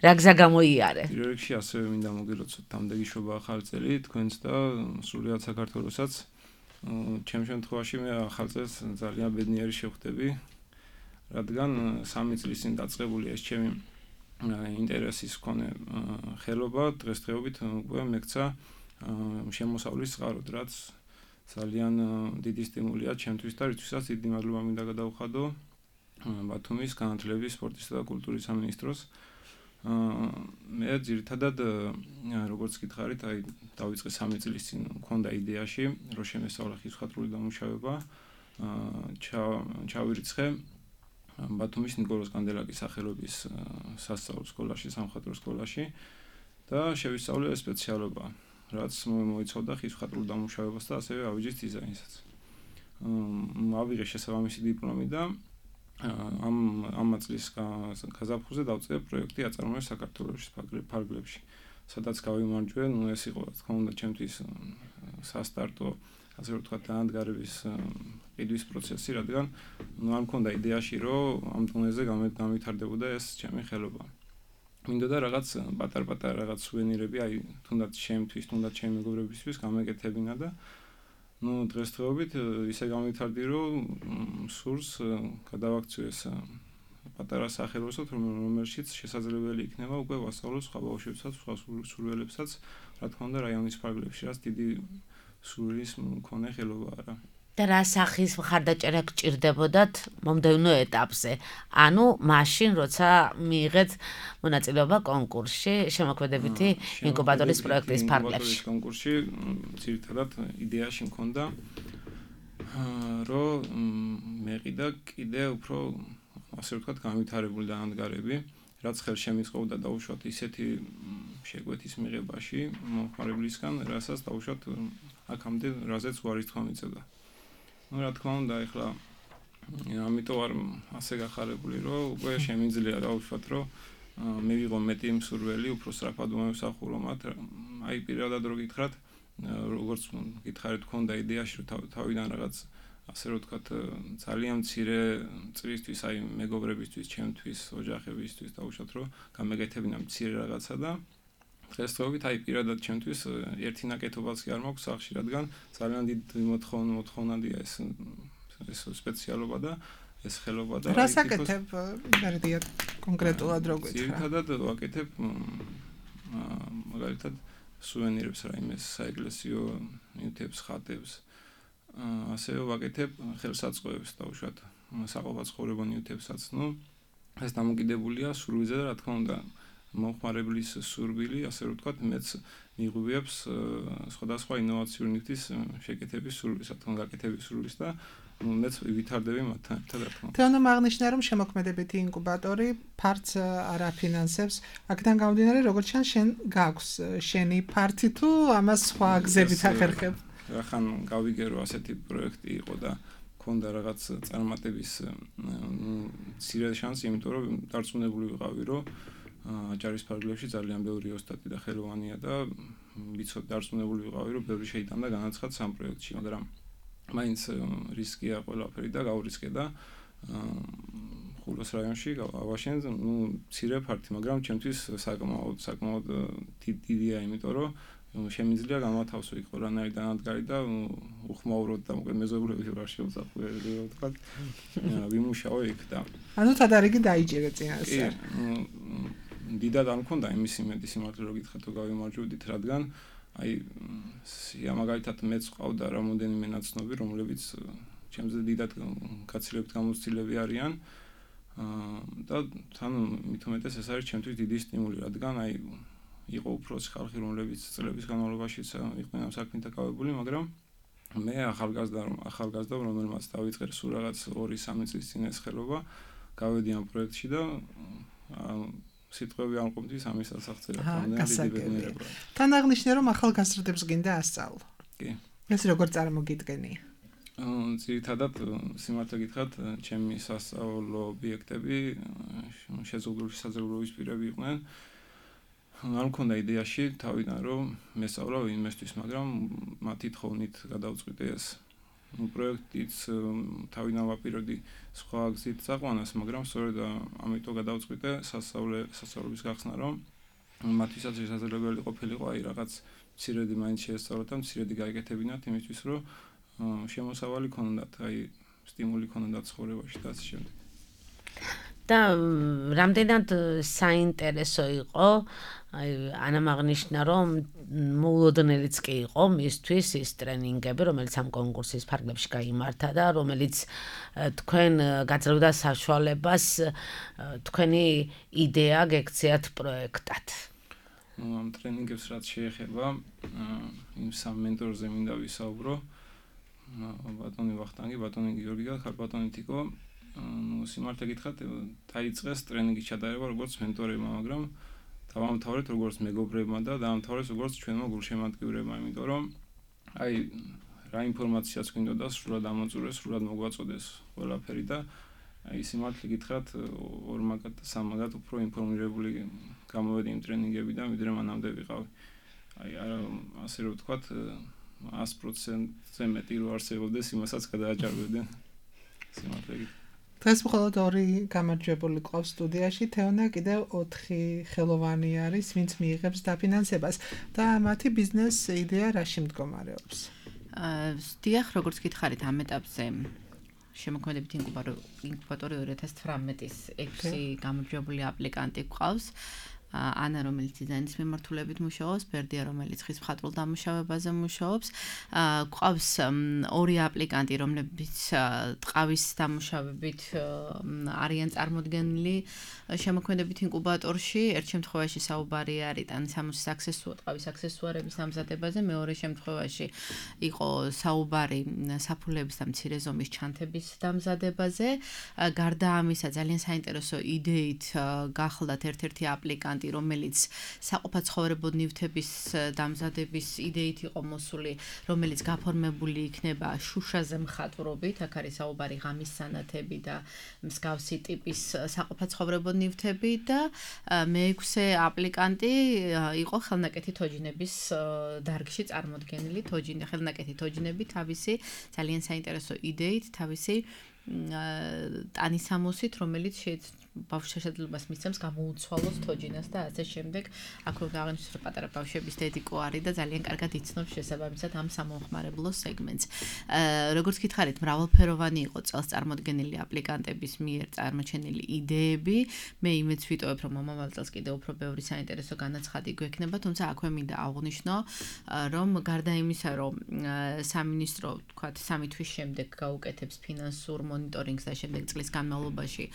S2: რა გზა გამოიარე
S6: პირველ რიგში ასევე მინდა მოგილოცოთ დამდეგიშობა ახალი წელი თქვენს და სრულად საქართველოსაც ჩემ შემთხვევაში მე ახალ წელს ძალიან ბედნიერი შევხვდები რადგან 3 წლის წინ დაწყებული ეს ჩემი ინტერესის მქონე ხელობა დღესდღეობით უკვე მეკცა შემოსავლის წყაროდ რაც ძალიან დიდი სტიმულია ჩემთვის და რითვისაც დიდი მადლობა მინდა გადავხადო ბათუმის განათლების, სპორტისა და კულტურის სამინისტროს. მე ძირითადად როგორც გითხარით, აი დავიწყე 3 წლის წინ მქონდა იდეაში, რომ შემესწავლე ხიზხატრული დამუშავება, ჩავირიცხე ბათუმის ნიკოლოზ კანდელაკის სახელობის სასწავლო სკოლაში, სამხატვრო სკოლაში და შევისწავლე სპეციალობა. რაც მოიცავდა ხიზხატრულ დამუშავებას და ასევე ავიჯის დიზაინსაც. ავიღე შესაბამისი დიპლომი და ამ წლის გაზაფხულზე დავწერე პროექტი აწარმოე საქართველოს ფარგლებში. სადაც გავიმარჯვე, ეს იყო რა თქმა უნდა ჩემთვის სასტარტო, ასე რომ ვთქვათ, დაანადგარების ყიდვის პროცესი, რადგან არ მქონდა იდეაში, რომ ამ დონეზე გავითარდებოდა ეს ჩემი ხელობა. მინდოდა რაღაც პატარ-პატარ რაღაც სუვენირები, აი თუნდაც ჩემთვის, თუნდაც ჩემი მეგობრებისთვის გამეკეთებინა და დღესდღეობით ისე გავითარდი, რომ სურს გადავაქციო ეს პატარა სახელოსოთ, რომელშიც შესაძლებელი იქნება უკვე ვასწავლო სხვა ბავშვებსაც, სხვა სურვილებსაც, რა თქმა უნდა, რაიონის ფარგლებში, რაც დიდი სურვილის მქონე ხელობაა რა.
S2: და რა სახის მხარდაჭერა გჭირდებოდათ მომდევნო ეტაპზე? ანუ მაშინ, როცა მიიღეთ მონაწილეობა კონკურსში, შემოქმედებითი ინკუბატორის პროექტის ფარგლებში.
S6: კონკურსში ძირითადად იდეაში მქონდა, რომ მეყიდა კიდე უფრო, ასე ვთქვათ, განვითარებული დაანადგარები, რაც ხელშემიწყობდა დაუშვათ ისეთი შეკვეთის მიღებაში მომხმარებლისგან, რასაც დაუშვათ აქამდე რაზეც უარის თქვა მიწევდა. რა თქმა უნდა, ეხლა ამიტომ არ ასე გახარებული, რომ უკვე შემიძლია დავუშვათ, რომ მე ვიღო მეტი მსურველი, უფრო სწრაფად მომსახურო მათ. აი პირადად რო გითხრათ, როგორც გითხარით, ქონდა იდეაში, რომ თავიდან რაღაც ასე რომ ვთქვათ, ძალიან მცირე წრისთვის, აი მეგობრებისთვის, ჩემთვის, ოჯახებისთვის დავუშვათ, რომ გამეკეთებინა მცირე რაღაცა და დღესდღეობით აი პირადად ჩემთვის ერთი ნაკეთობაც კი არ მაქვს სახში, რადგან ძალიან დიდი მოთხოვნადია ეს სპეციალობა და ეს ხელობა და
S3: რას აკეთებ მერდია კონკრეტულად რო გითხრა?
S6: ძირითადად ვაკეთებ მაგალითად სუვენირებს რაიმეს საეკლესიო ნივთებს, ხატებს. ასევე ვაკეთებ ხელსაწყოებს დავუშვათ საყოფაცხოვრებო ნივთებსაც. ეს დამოკიდებულია სურვილზე და რა თქმა უნდა მომხმარებლის სურვილი, ასე რომ ვთქვათ, მეც მიიღუპებს სხვადასხვა ინოვაციური ნივთის შეკეთების სურვილს, რა თქმა უნდა, გაკეთების სურვილს და მეც ვითარდები მათთან ერთად, რა თქმა უნდა.
S3: თეონო აღნიშნა, რომ შემოქმედებითი ინკუბატორი ფართს არ აფინანსებს. აქედან გამომდინარე, როგორც ჩანს, შენ გაქვს შენი ფართი თუ ამას სხვა გზებით ახერხებ?
S6: რახან გავიგე რომ ასეთი პროექტი იყო და მქონდა რაღაც წარმატების მცირე შანსი, იმიტომ რომ დარწმუნებული ვიყავი, რომ აჭარის ფარგლებში ძალიან ბევრი ოსტატი და ხელოვანია და ვიცოდი დარწმუნებული ვიყავი, რომ ბევრი შეიტანდა განაცხადს ამ პროექტში, მაგრამ მაინც რისკია ყველაფერი და გავრისკე და ხულოს რაიონში ავაშენ, მცირე ფართი, მაგრამ ჩემთვის საკმაოდ დიდია, იმიტომ რომ შემიძლია გამათავსო იქ ყველანაირ დანადგარი და უხმაუროდ და მოკლედ მეზობლები რა შეუსახურებელი ვთქვათ. ვიმუშაო იქ და
S3: ანუ თადარიგი დაიჭირე წინასწარ.
S6: დიდად არ მქონდა იმის იმედი სიმართლე რომ გითხრათ რომ გავიმარჯვებდით, რადგან აი მაგალითად მეც ყავდა რამოდენიმე ნაცნობი, რომლებიც ჩემზე დიდად გაცილებით გამოცდილები არიან და თან მით უმეტეს ეს არის ჩემთვის დიდი სტიმული, რადგან აი იყო უფროსი ხალხი, რომლებიც წლების განმავლობაში იყვნენ ამ საქმით დაკავებული, მაგრამ მე ახალგაზრდა რომელმაც დავიწყე სულ რაღაც 2-3 წლის წინ ეს ხელობა, გავედი ამ პროექტში და სიტყვები არ მყოფთვის ამის ასახწერა დიდი ბედნიერება.
S3: თან აღნიშნე რომ ახალგაზრდებს გინდა ასწავლო.
S6: კი.
S3: ეს როგორ წარმოგიდგენია?
S6: ძირითადად სიმართლე გითხრათ, ჩემი სასწავლო ობიექტები შეზღუდული საზოგადოების პირები იყვნენ. არ მქონდა იდეაში თავიდან რომ მესწავლა ვინმესთვის, მაგრამ მათი თხოვნით გადავწყვიტე ეს პროექტიც თავიდან ვაპირებდი სხვა გზით წაყვანას, მაგრამ სწორედ ამიტომ გადავწყვიტე სასწავლების გახსნა, რომ მათთვისაც შესაძლებელი ყოფილიყო აი რაღაც მცირედი მაინც შეესწავლოთ და მცირედი გაეკეთებინათ იმისთვის, რომ შემოსავალი ქონდათ, აი სტიმული ქონდათ ცხოვრებაში და ასე შემდეგ.
S2: და რამდენად საინტერესო იყო, აი ანამ აღნიშნა, რომ მოულოდნელიც კი იყო მისთვის ის ტრენინგები, რომელიც ამ კონკურსის ფარგლებში გაიმართა და რომელიც თქვენ გაძლევდა საშუალებას თქვენი იდეა გექციათ პროექტად.
S6: ამ ტრენინგებს რაც შეეხება, იმ სამ მენტორზე მინდა ვისაუბრო, ბატონი ვახტანგი, ბატონი გიორგი და ხარბატონი თიკო. სიმართლე გითხრათ, დაიწყეს ტრენინგის ჩატარება როგორც მენტორებმა, მაგრამ დავამთავრეთ როგორც მეგობრებმა და დავამთავრეთ როგორც ჩვენმა გულშემატკივრებმა, იმიტომ რომ აი რა ინფორმაციაც გვინდოდა სრულად ამოწურეს, სრულად მოგვაწოდეს ყველაფერი და აი სიმართლე გითხრათ, 2-3 უფრო ინფორმირებული გამოვედი იმ ტრენინგებიდან, ვიდრე მანამდე ვიყავი. აი ასე რომ ვთქვათ, 100%-ზე მეტი რო არსებობდეს, იმასაც გადააჭარბებდნენ. სიმართლე გითხრათ.
S3: დღეს მხოლოდ 2 გამარჯვებული ყავს სტუდიაში, თეონა კიდევ 4 ხელოვანი არის, ვინც მიიღებს დაფინანსებას და მათი ბიზნეს იდეა რაში მდგომარეობს?
S4: დიახ, როგორც გითხარით, ამ ეტაპზე შემოქმედებითი ინკუბატორი 2018-ის 6 გამარჯვებული აპლიკანტი გვყავს. ანა, რომელიც დიზაინის მიმართულებით მუშაობს, ბერდია, რომელიც ხის მხატვრულ დამუშავებაზე მუშაობს. გვყავს 2 აპლიკანტი, რომლებიც ტყავის დამუშავებით არიან წარმოდგენილი შემოქმედებით ინკუბატორში. ერთ შემთხვევაში საუბარი არის ტანისამოსის ტყავის აქსესუარების დამზადებაზე, მეორე შემთხვევაში იყო საუბარი საფულების და მცირე ზომის ჩანთების დამზადებაზე. გარდა ამისა, ძალიან საინტერესო იდეით გახლდათ ერთ-ერთი აპლიკანტი, აპლიკანტი, რომელიც საყოფაცხოვრებო ნივთების დამზადების იდეით იყო მოსული, რომელიც გაფორმებული იქნება შუშაზე მხატვრობით, აქ არის საუბარი ღამის სანათები და მსგავსი ტიპის საყოფაცხოვრებო ნივთები და მეექვსე აპლიკანტი იყო ხელნაკეთი თოჯინების დარგში წარმოდგენილი ხელნაკეთი თოჯინები თავისი ძალიან საინტერესო იდეით, თავისი ტანისამოსით, რომელიც ბავშვს შესაძლებლობას მისცემს გამოუცვალოს თოჯინას და ასე შემდეგ. აქ რომ აღნიშნოს, რომ პატარა ბავშვების დედიკო არის და ძალიან კარგად იცნობს შესაბამისად ამ სამომხმარებლო სეგმენტს. როგორც გითხარით, მრავალფეროვანი იყო წელს წარმოდგენილი აპლიკანტების მიერ წარმოჩენილი იდეები. მე იმედს ვიტოვებ, რომ მომავალ წელს კიდევ უფრო ბევრი საინტერესო განაცხადი გვექნება, თუმცა აქვე მინდა აღვნიშნო, რომ გარდა იმისა, რომ სამინისტრო, თქვათ, 3 თვის შემდეგ გაუკეთებს ფინანსურ მონიტორინგს და შემდეგ წლის განმავლობაში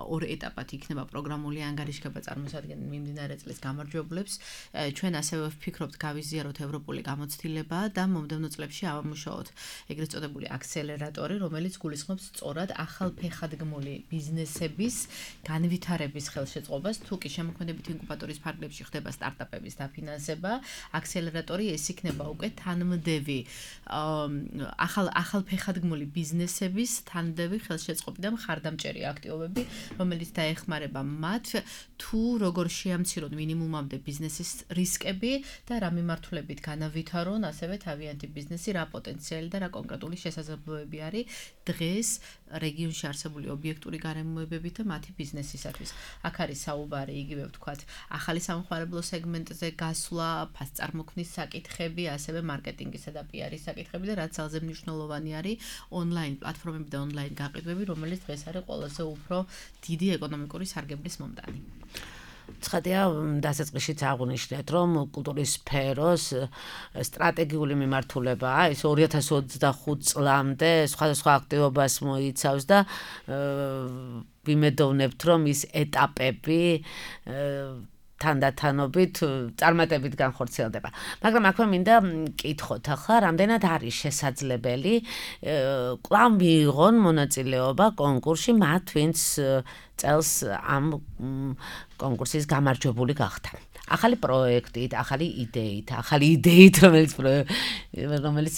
S4: ორ ეტაპად იქნება პროგრამული ანგარიშგება წარმოსადგენენ მიმდინარე წლის გამარჯვებულებს. ჩვენ ასევე ვფიქრობთ გავიზიაროთ ევროპული გამოცდილება და მომდევნო წლებში ავამუშაოთ ეგრეთ წოდებული აქსელერატორი, რომელიც გულისხმობს სწორად ახალფეხადგმული ბიზნესების განვითარების ხელშეწყობას. თუ კი შემოქმედებითი ინკუბატორის ფარგლებში ხდება სტარტაპების დაფინანსება, აქსელერატორი ეს იქნება უკვე თანმდევი ახალფეხადგმული ბიზნესების თანმდევი ხელშეწყობი და მხარდამჭერი აქტივობები, რომელიც დაეხმარება მათ თუ როგორ შეამცირონ მინიმუმამდე ბიზნესის რისკები და რა მიმართულებით განავითარონ ასევე თავიანთი ბიზნესი, რა პოტენციალი და რა კონკრეტული შესაძლებლობები არის დღეს რეგიონში არსებული ობიექტური გარემოებებით და მათი ბიზნესისათვის. აქ არის საუბარი იგივე ვთქვათ, ახალი სამხმარებლო სეგმენტზე გასვლა, ფასწარმოქმნის საკითხები, ასევე მარკეტინგისა და PR-ის საკითხები და რაც ძალზე მნიშვნელოვანი არის ონლაინ პლატფორმები და ონლაინ გაყიდვები, რომელიც დღეს არის ყველაზე უფრო დიდი ეკონომიკური სარგებლის მომდანი.
S2: ცხადია, დასაწყისშიც აღვნიშნეთ, რომ კულტურის სფეროს სტრატეგიული მიმართულებაა, ეს 2025 წლამდე სხვადასხვა აქტივობას მოიცავს და ვიმედოვნებთ, რომ ის ეტაპები თანდათანობით წარმატებით განხორციელდება. მაგრამ აქვე მინდა მკითხოთ, ახლა რამდენად არის შესაძლებელი კვლავ მიიღონ მონაწილეობა კონკურსში მათ, ვინც წელს ამ კონკურსის გამარჯვებული გახდა. ახალი პროექტით, ახალი იდეით, რომელიც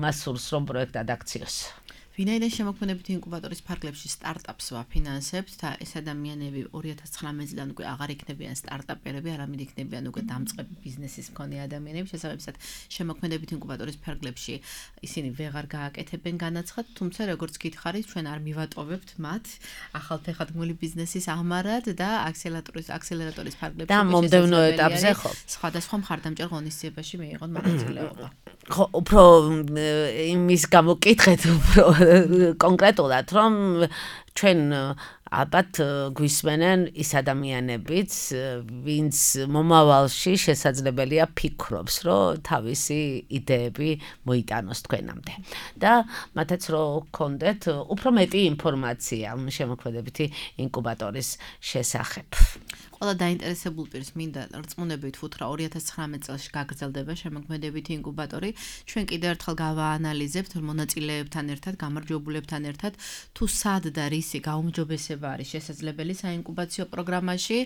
S2: მას სურს, რომ პროექტად აქციოს.
S4: ვინაიდან შემოქმედებითი ინკუბატორის ფარგლებში სტარტაპს ვაფინანსებთ და ეს ადამიანები 2019 წლიდან უკვე აღარ იქნებიან სტარტაპერები, არამედ იქნებიან უკვე დამწყები ბიზნესის მქონე ადამიანები, შესაბამისად შემოქმედებითი ინკუბატორის ფარგლებში ისინი ვეღარ გააკეთებენ განაცხადს, თუმცა როგორც გითხარით, ჩვენ არ მივატოვებთ მათ ახალფეხადგმული ბიზნესის აღმარად და აქსელერატორის ფარგლებში
S2: და მომდევნო ეტაპზე ხო
S4: სხვადასხვა მხარდამჭერ ღონისძიებაში მიიღონ მონაწილეობა.
S2: ხო, უფრო იმის გამოკითხეთ, უფრო კონკრეტულად, რომ ჩვენ ალბათ გვისმენენ ის ადამიანებიც, ვინც მომავალში შესაძლებელია ფიქრობს, რომ თავისი იდეები მოიტანოს თქვენამდე. და მათაც რომ გქონდეთ უფრო მეტი ინფორმაცია შემოქმედებითი ინკუბატორის შესახებ.
S4: ყველა დაინტერესებულ პირს მინდა რწმუნებით ვუთხრა 2019 წელს გაგრძელდება შემოქმედებითი ინკუბატორი. ჩვენ კიდევ ერთხელ გავაანალიზებთ მონაწილეებთან ერთად, გამარჯვებულებთან ერთად, თუ სად და რისი გაუმჯობესება არის შესაძლებელი საინკუბაციო პროგრამაში.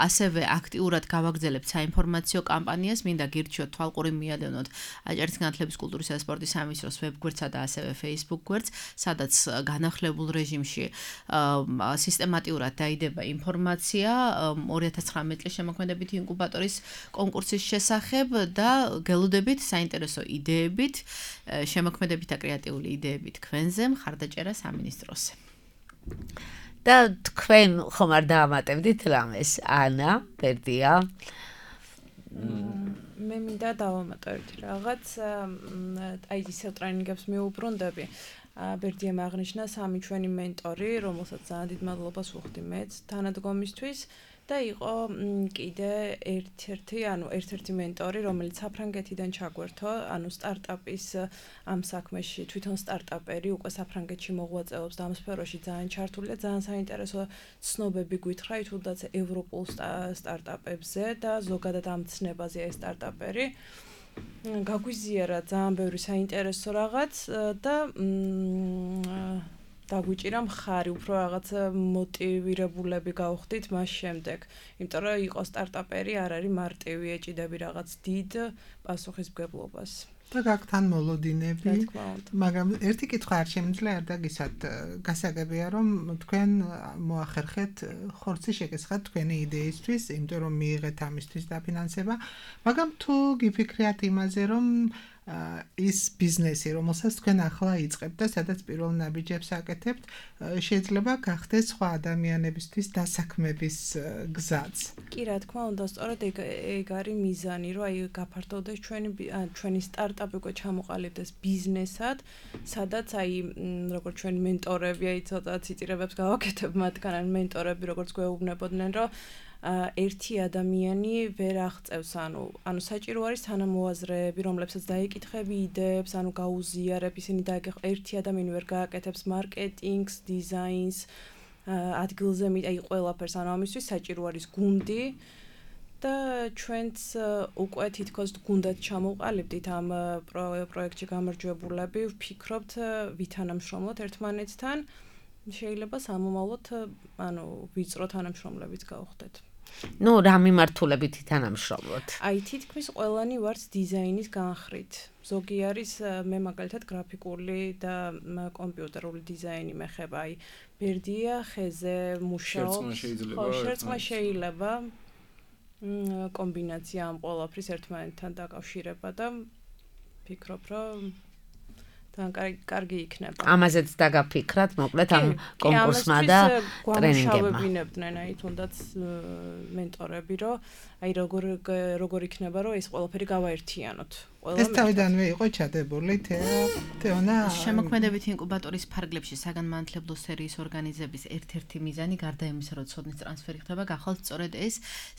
S4: ასევე აქტიურად გავაგრძელებთ საინფორმაციო კამპანიას, მინდა გირჩიოთ თვალყური მიადევნოთ აჭარის განათლების, კულტურისა და სპორტის სამინისტროს ვებგვერდსა და ასევე Facebook გვერდს, სადაც განახლებულ რეჟიმში სისტემატიურად დაიდება ინფორმაცია 2019 წლის შემოქმედებითი ინკუბატორის კონკურსის შესახებ და გელოდებით საინტერესო იდეებით, შემოქმედებით და კრეატიული იდეებით თქვენზე მხარდაჭერა სამინისტროზე.
S2: და თქვენ ხომ არ დაამატებდით რამეს? ანა, ბერდია.
S5: მე მინდა დავამატოთ რაღაც, აი ისევ ტრენინგებს მიუბრუნდები. ბერდიამ აღნიშნა 3 ჩვენი მენტორი, რომელსაც ძალიან დიდ მადლობას ვუხდი მეც თანადგომისთვის და იყო კიდე ერთ-ერთი მენტორი, რომელიც საფრანგეთიდან ჩაგვერთო, ანუ სტარტაპის ამ საქმეში, თვითონ სტარტაპერი უკვე საფრანგეთში მოღვაწეობს და ამ სფეროში ძალიან ჩართული და ძალიან საინტერესო ცნობები გვითხრა თუნდაც ევროპულ სტარტაპებზე და ზოგადად ამ ცნებაზეა ეს სტარტაპერი. გაგვიზიარა ძალიან ბევრი საინტერესო რაღაც და დაგვიჭირა მხარი, უფრო რაღაც მოტივირებულები გავხდით მას შემდეგ. იმიტომ რომ იყო სტარტაპერი არ არის მარტივი ეჭიდები რაღაც დიდ პასუხისმგებლობას.
S3: და გაგთან მოლოდინები, მაგრამ ერთი კითხვა არ შემიძლია არ დაგისათ, გასაგებია რომ თქვენ მოახერხეთ ხორცი შეგესხათ თქვენი იდეისთვის, იმიტომ რომ მიიღეთ ამისთვის დაფინანსება, მაგრამ თუ გიფიქრიათ იმაზე რომ ის ბიზნესი, რომელსაც თქვენ ახლა იწყებთ და სადაც პირველ ნაბიჯებს აკეთებთ, შეიძლება გახდეს სხვა ადამიანებისთვის დასაქმების გზაც.
S5: კი, რა თქმა უნდა, სწორედ ეგ არის მიზანი, რომ აი გაფართოვდეს ჩვენი სტარტაპი უკვე ჩამოყალიბდეს ბიზნესად, სადაც აი როგორც ჩვენი მენტორები, აი ცოტა ციტირებებს გავაკეთებ მათგან, მენტორები როგორც გვეუბნებოდნენ, რომ ერთი ადამიანი ვერ აღწევს, ანუ საჭირო არის თანამოაზრეები, რომლებსაც დაიკითხები იდეებს, ანუ გაუზიარებ, ისინი ერთი ადამიანი ვერ გააკეთებს მარკეტინგს, დიზაინს, ადგილზე აი ყველაფერს, ანუ ამისთვის საჭირო არის გუნდი და ჩვენც უკვე თითქოს გუნდად ჩამოვყალიბდით ამ პროექტში გამარჯვებულები, ვფიქრობთ ვითანამშრომლოთ ერთმანეთთან, შეიძლება სამომავლოდ, ანუ ვიწრო თანამშრომლებით გავხდეთ.
S2: ნუ რა მიმართულებით თანამშრომლობთ?
S5: აი თითქმის ყველანი ვართ დიზაინის განხრით. ზოგი არის მე მაგალითად გრაფიკული და კომპიუტერული დიზაინი მეხება, აი ბერდია ხეზე მუშაობს. შერწყმა შეიძლება კომბინაცია ამ ყველაფრის ერთმანეთთან დაკავშირება და ფიქრობ, რომ თან კარგი იქნება.
S2: ამაზეც დაგაფიქრათ, მოკლედ ამ კონკურსმა და ტრენინგებმა.
S5: გვამუშავებინებდნენ აი თუნდაც მენტორები, რომ აი როგორ იქნება, რომ ეს ყველაფერი გავაერთიანოთ.
S3: ეს თავიდანვე იყო ჩადებული თეონა
S4: შემოქმედებითი ინკუბატორის ფარგლებში საგანმანათლებლო სერიის ორგანიზების ერთ-ერთი მიზანი გარდა იმისა, რომ ცოდნის ტრანსფერი ხდება, გახვალთ სწორედ ეს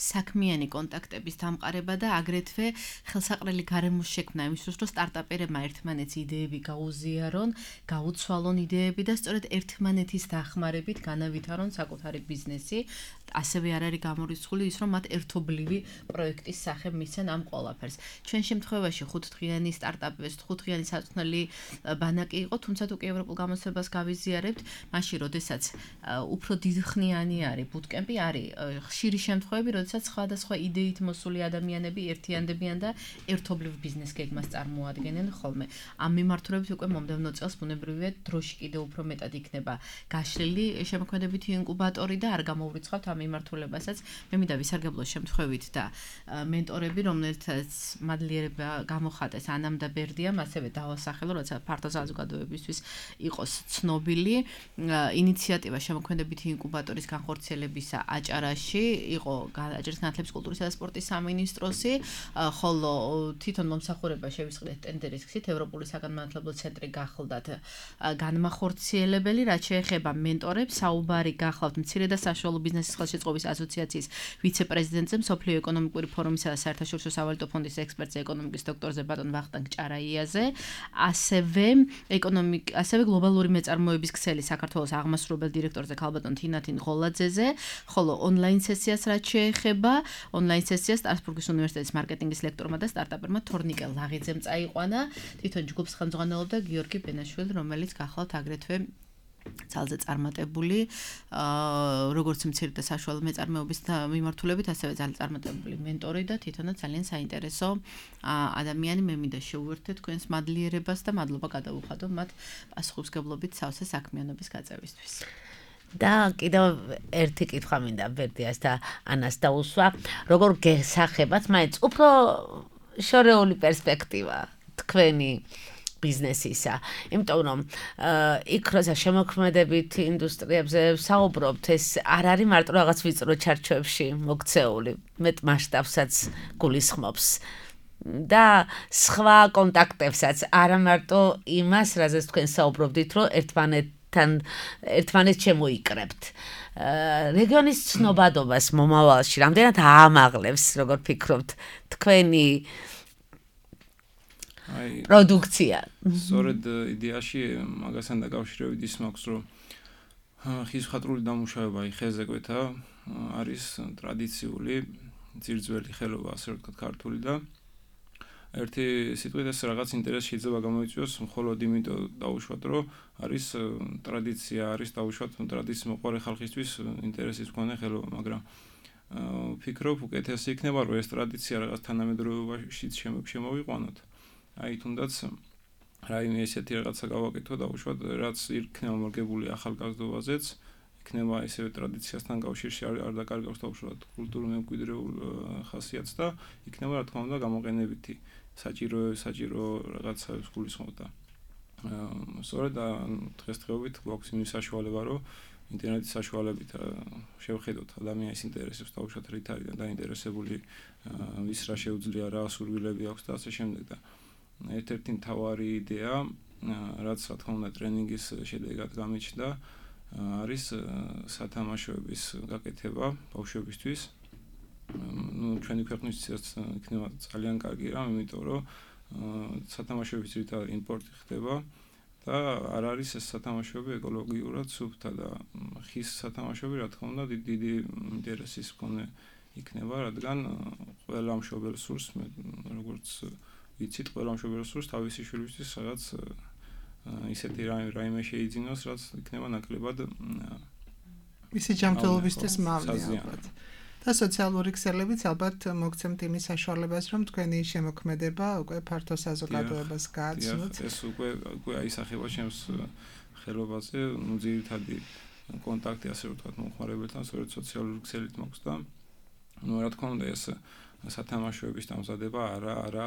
S4: საქმიანი კონტაქტების დამყარება და აგრეთვე ხელსაყრელი გარემოს შექმნა იმისთვის, რომ სტარტაპერებმა ერთმანეთს იდეები გაუზიარონ, გაუცვალონ იდეები და სწორედ ერთმანეთის დახმარებით განავითარონ საკუთარი ბიზნესი. ასევე არ არის გამორიცხული ის, რომ მათ ერთობლივი პროექტის სახე მისცენ ამ ყველაფერს. ჩვენ შემთხვევაში 5 დღიანი სტარტაპების 5 დღიანი საწვრთნელი ბანაკი იყო, თუმცა თუ კი ევროპულ გამოცდილებას გავიზიარებთ, მაშინ როდესაც უფრო დიდხნიანი არის ბუტკემპი, არის ხშირი შემთხვევები, როდესაც სხვადასხვა იდეით მოსული ადამიანები ერთიანდებიან და ერთობლივ ბიზნეს გეგმას წარმოადგენენ ხოლმე. ამ მიმართულებით უკვე მომდევნო წელს ბუნებრივია დროში კიდევ უფრო მეტად იქნება გაშლილი შემოქმედებითი ინკუბატორი და არ გამოვრიცხავთ ამ მიმართულებასაც. მე მინდა ვისარგებლო შემთხვევით და მენტორები, რომელთაც მადლიერება გამოხატეს ანამ და ბერდიამ, ასევე დავასახელო, როცა ფართო საზოგადოებისთვის იყოს ცნობილი. ინიციატივა შემოქმედებითი ინკუბატორის განხორციელებისა აჭარაში იყო აჭარის განათლების, კულტურისა და სპორტის სამინისტროსი, ხოლო თვითონ მომსახურება შევისყიდეთ ტენდერის გზით, ევროპული საგანმანათლებლო ცენტრი გახლდათ განმახორციელებელი, რაც შეეხება მენტორებს, საუბარი გახლავთ მცირე და საშუალო ბიზნესის ხელშეწყობის ასოციაციის ვიცე-პრეზიდენტზე, მსოფლიო ეკონომიკური ფორუმისა და საერთაშორისო სავალუტო ფონდის ექსპერტზე, ეკონომიკის დოქტორზე ბატონ ვახტანგ ჭარაიაზე, ასევე გლობალური მეწარმოების ქსელი საქართველოს აღმასრულებელ დირექტორზე ქალბატონ თინათინ ღოლაძეზე, ხოლო ონლაინ სესიას რაც შეეხება, ონლაინ სესიას სტრასბურგის უნივერსიტეტის მარკეტინგის ლექტორმა და სტარტაპერმა თორნიკე ლაღიძემ წაიყვანა, თვითონ ჯგუფს ხელმძღვანელობდა გიორგი ბენაშვილი, რომელიც გახლავთ აგრეთვე ძალზე წარმატებული, როგორც მცირე და საშუალო მეწარმეობის მიმართულებით, ასევე ძალზე წარმატებული მენტორი და თვითონაც ძალიან საინტერესო ადამიანი. მე მინდა შევუერთდეთ თქვენს მადლიერებას და მადლობა გადავუხადო მათ პასუხისმგებლობით სავსე საქმიანობის გაწევისთვის.
S2: და კიდევ ერთი კითხვა მინდა ბერდიას და ანას დაუსვა, როგორ გესახებათ მაინც უფრო შორეული პერსპექტივა თქვენი ბიზნესისა, იმიტომ რომ იქ როცა შემოქმედებით ინდუსტრიებზე საუბრობთ, ეს არ არის მარტო რაღაც ვიწრო ჩარჩოებში მოქცეული, მეტ მასშტაბსაც გულისხმობს და სხვა კონტაქტებსაც, არა მარტო იმას, რაზეც თქვენ საუბრობდით, რომ ერთმანეთს შემოიკრებთ. რეგიონის ცნობადობას მომავალში რამდენად აამაღლებს, როგორ ფიქრობთ, თქვენი პროდუქცია?
S6: სწორედ იდეაში მაგასთან დაკავშირებით ის მაქვს, რომ ხიზხატრული დამუშავება ხეზე კვეთა არის ტრადიციული ძირძველი ხელობა, ასე ვთქვათ, ქართული და ერთი სიტყვით ეს რაღაც ინტერესი შეიძლება გამოიწვიოს მხოლოდ იმიტომ დაუშვათ, რომ არის ტრადიცია, არის დაუშვათ ტრადიციის მოყვარე ხალხისთვის ინტერესის მქონე ხელობა, მაგრამ ვფიქრობ, უკეთესი იქნება, რომ ეს ტრადიცია რაღაც თანამედროვეობაშიც შემოვიყვანოთ. აი თუნდაც რაიმე ესეთი რაღაცა გავაკეთო დაუშვათ, რაც იქნება მორგებული ახალგაზრდობაზეც, იქნება ესევე ტრადიციასთან კავშირში არ დაკარგავს დაუშვათ კულტურულ მემკვიდრეულ ხასიათს და იქნება რა თქმა უნდა გამოყენებითი საჭირო რაღაცა გულისხმობდა. სწორედ დღესდღეობით გვაქვს იმის საშუალება, რომ ინტერნეტის საშუალებით შევხედოთ ადამიანის ინტერესებს დაუშვათ რით არის დაინტერესებული, ვის რა შეუძლია, რა სურვილები აქვს და ასე შემდეგ და ერთ-ერთი მთავარი იდეა, რაც რა თქმა უნდა ტრენინგის შედეგად გამიჩნდა, არის სათამაშოების გაკეთება ბავშვებისთვის. ჩვენი ქვეყნისთვისაც იქნება ძალიან კარგი რამ, იმიტომ რომ სათამაშოების რითად იმპორტი ხდება და არ არის ეს სათამაშოები ეკოლოგიურად სუფთა და ხის სათამაშოები რა თქმა უნდა დიდი ინტერესის მქონე იქნება, რადგან ყველა მშობელს სურს, როგორც ვიცით, ყველა მშობელს სურს თავისი შვილისთვის რაღაც ისეთი რაიმე შეიძინოს, რაც იქნება ნაკლებად
S3: მისი ჯანმრთელობისთვის მაღალი ალბათ. და სოციალური ქსელებიც ალბათ მოგცემთ იმის საშუალებას, რომ თქვენი შემოქმედება უკვე ფართო საზოგადოებას გააცნოთ.
S6: ეს უკვე აისახება ჩემს ხელობაზე, ძირითადი კონტაქტი ასე ვთქვათ მომხმარებელთან, სწორედ სოციალური ქსელით მოხს და რა თქმა უნდა ეს სათამაშოების დამზადება არა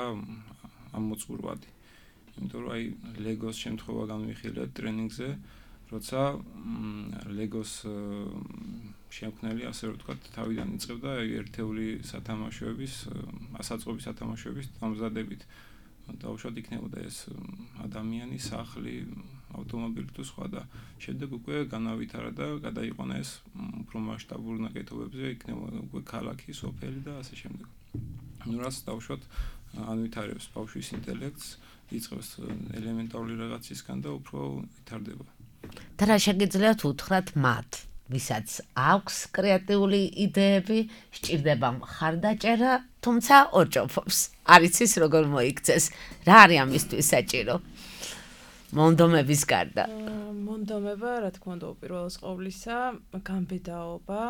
S6: ამოწყურვადი. იმიტომ რომ აი ლეგოს შემთხვევა განვიხილეთ ტრენინგზე, როცა ლეგოს შემქმნელი ასე ვთქვათ თავიდან იწყებდა ერთეული სათამაშოების, ასაწყობი სათამაშოების დამზადებით. დაუშვათ იქნებოდა ეს ადამიანი, სახლი, ავტომობილი თუ სხვა და შემდეგ უკვე განავითარა და გადაიყვანა ეს უფრო მასშტაბურ ნაკეთობებზე, იქნებოდა უკვე ქალაქი, სოფელი და ასე შემდეგ. რაც დაუშვათ ანვითარებს ბავშვის ინტელექტს, იწყებს ელემენტარული რაღაცისგან და უფრო ვითარდება.
S2: და რა შეგიძლიათ უთხრათ მათ, ვისაც აქვს კრეატიული იდეები, სჭირდება მხარდაჭერა, თუმცა ორჭოფობს. არ იცის როგორ მოიქცეს. რა არის ამისთვის საჭირო? მონდომების გარდა.
S5: მონდომება, რა თქმა უნდა, უპირველეს ყოვლისა, გამბედაობა,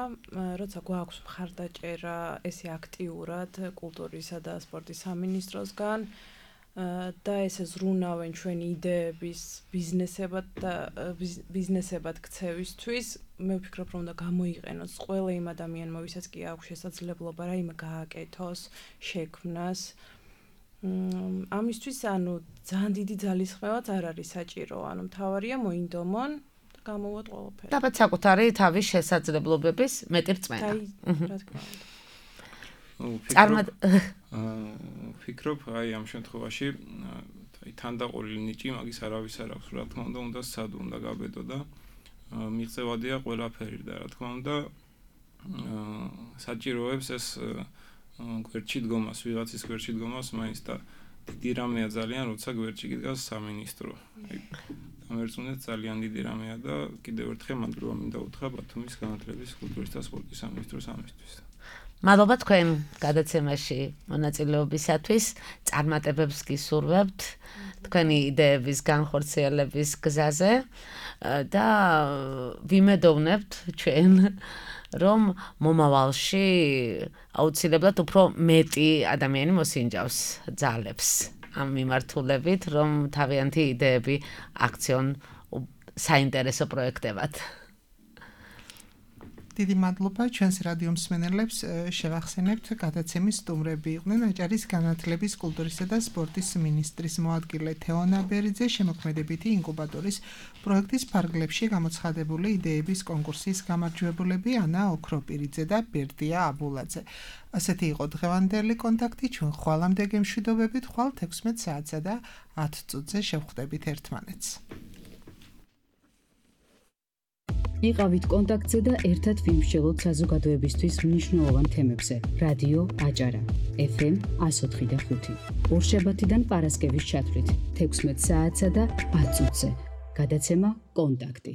S5: როცა გვაქვს მხარდაჭერა, ესე აქტიურად კულტურისა და სპორტის სამინისტროსგან და ესე ზრუნავენ ჩვენი იდეების ბიზნესებად ქცევისთვის, მე ვფიქრობ, რომ უნდა გამოიყენოს ყველა იმ ადამიანმა, ვისაც კი აქვს შესაძლებლობა რაიმე გააკეთოს, შექმნას. ამისთვის ანუ ძალიან დიდი ძალისხმევაც არ არის საჭირო, ანუ მთავარია მოინდომონ და გამოვოთ ყველაფერი.
S2: დაბათ საკუთარი თავის შესაძლებლობების მეტი რწმენა.
S5: რა თქმა უნდა.
S6: ვფიქრობ, აი ამ შემთხვევაში თანდაყოლილი ნიჭი მაგის არავის არ აქვს, რა თქმა უნდა სად უნდა გაბედო და მიღწევადია ყველაფერი და რა თქმა უნდა საჭიროებს ეს გვერდში დგომას, ვიღაცის გვერდში დგომას მაინც და დიდი რამეა ძალიან, როცა გვერდში გიდგას სამინისტრო. გამერწუნეთ ძალიან დიდი რამეა და კიდევ ერთხელ მადლობა მინდა უთხრა ბათუმის განათლების, კულტურის და სპორტის სამინისტროს ამისთვის.
S2: მადლობა თქვენ გადაცემაში მონაწილეობისათვის, წარმატებებს გისურვებთ თქვენი იდეების განხორციელების გზაზე და ვიმედოვნებთ ჩვენ, რომ მომავალში აუცილებლად უფრო მეტი ადამიანი მოსინჯავს ძალებს ამ მიმართულებით, რომ თავიანთი იდეები აქციონ საინტერესო პროექტებად.
S3: დიდი მადლობა ჩვენს რადიო მსმენელებს შევახსენებთ გადაცემის სტუმრები იყვნენ აჭარის განათლების, კულტურისა და სპორტის მინისტრის მოადგილე თეონა ბერიძე, შემოქმედებითი ინკუბატორის პროექტის ფარგლებში გამოცხადებული იდეების კონკურსის გამარჯვებულები ანა ოქროპირიძე და ბერდია აბულაძე. ასეთი იყო დღევანდელი კონტაქტი, ჩვენ ხვალამდე გემშვიდობებით, ხვალ 16 საათსა და 10 წუთზე შევხვდებით ერთმანეთს.
S1: იყავით კონტაქტზე და ერთად ვიმსჯელოთ საზოგადოებისთვის მნიშვნელოვან თემებზე. რადიო აჭარა, FM 104.5. ორშაბათიდან პარასკევის ჩათვლით 16 საათსა და 10 წუთზე. გადაცემა კონტაქტი.